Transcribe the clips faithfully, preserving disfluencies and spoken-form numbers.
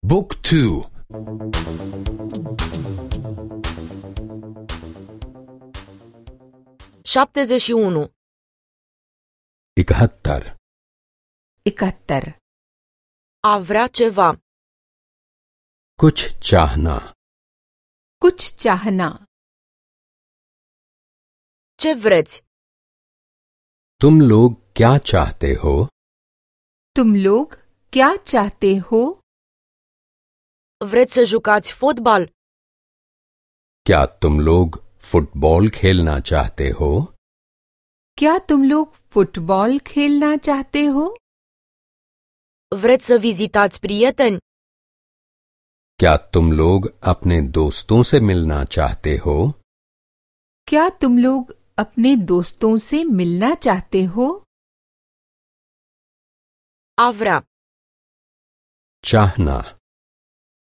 Book two. șaptezeci și unu. इकहत्तर. इकहत्तर. A vrea ceva. कुछ चाहना. कुछ चाहना. Ce vreți? तुम लोग क्या चाहते हो? तुम लोग क्या चाहते हो? Vreți să jucați fotbal? क्या तुम लोग फुटबॉल खेलना चाहते हो? क्या तुम लोग फुटबॉल खेलना चाहते हो? Vreți să vizitați prieteni? क्या तुम लोग अपने दोस्तों से मिलना चाहते हो? क्या तुम लोग अपने दोस्तों से मिलना चाहते हो? A vrea. चाहना.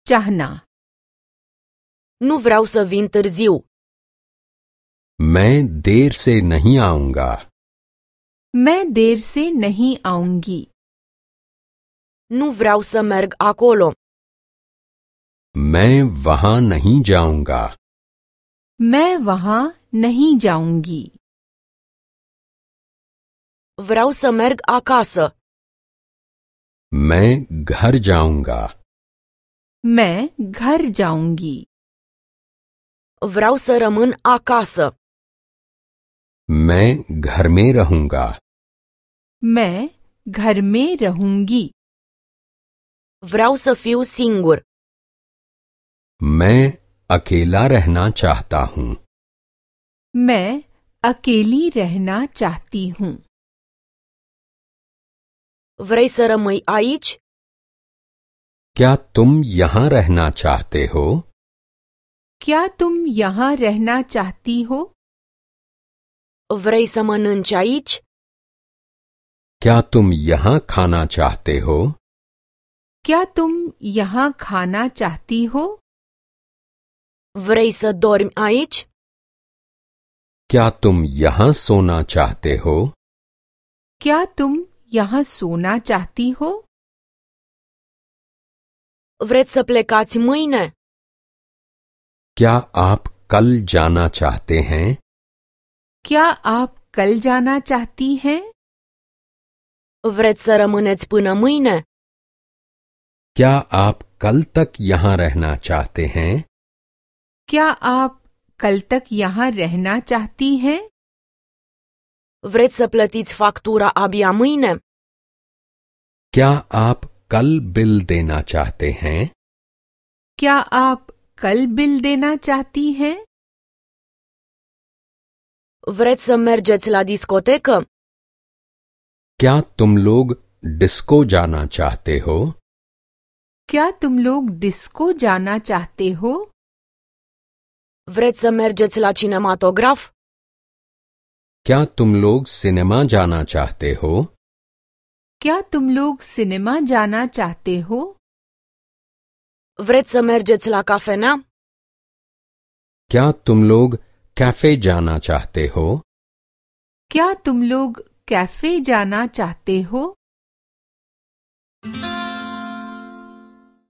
चाहना. Nu vreau să vin târziu. मैं देर से नहीं आऊंगा. मैं देर से नहीं आऊंगी. Nu vreau să merg acolo. मैं वहां नहीं जाऊंगा. मैं वहां नहीं जाऊंगी. Vreau să merg acasă. मैं घर जाऊंगा. मैं घर जाऊंगी. Vreau să rămân acasă. मैं घर में रहूंगा. मैं घर में रहूंगी. Vreau să fiu singur. मैं अकेला रहना चाहता हूँ. मैं अकेली रहना चाहती हूँ. Vrei să rămâi aici? क्या तुम यहाँ रहना चाहते हो? क्या तुम यहाँ रहना चाहती हो? Vrei să mănânci aici? क्या तुम यहाँ खाना चाहते हो? क्या तुम यहाँ खाना चाहती हो? Vrei să dormi aici? क्या तुम यहाँ सोना चाहते हो? क्या तुम यहाँ सोना चाहती हो? Vreți să plecați mâine? क्या आप कल जाना चाहते हैं? क्या आप कल जाना चाहती हैं? Vreți să rămâneți până mâine? क्या आप कल तक यहाँ रहना चाहते हैं? क्या आप कल तक यहाँ रहना चाहती हैं? Vreți să plătiți factura abia mâine? क्या आप कल बिल देना चाहते हैं? क्या आप कल बिल देना चाहती हैं? Vreți să mergeți la discotecă? क्या तुम लोग डिस्को जाना चाहते हो? क्या तुम लोग डिस्को जाना चाहते हो? Vreți să mergeți la cinematograf? क्या तुम लोग सिनेमा जाना चाहते हो? क्या तुम लोग सिनेमा जाना चाहते हो? Vreți să mergeți la cafenea? क्या तुम लोग कैफे जाना चाहते हो? क्या तुम लोग कैफे जाना चाहते हो?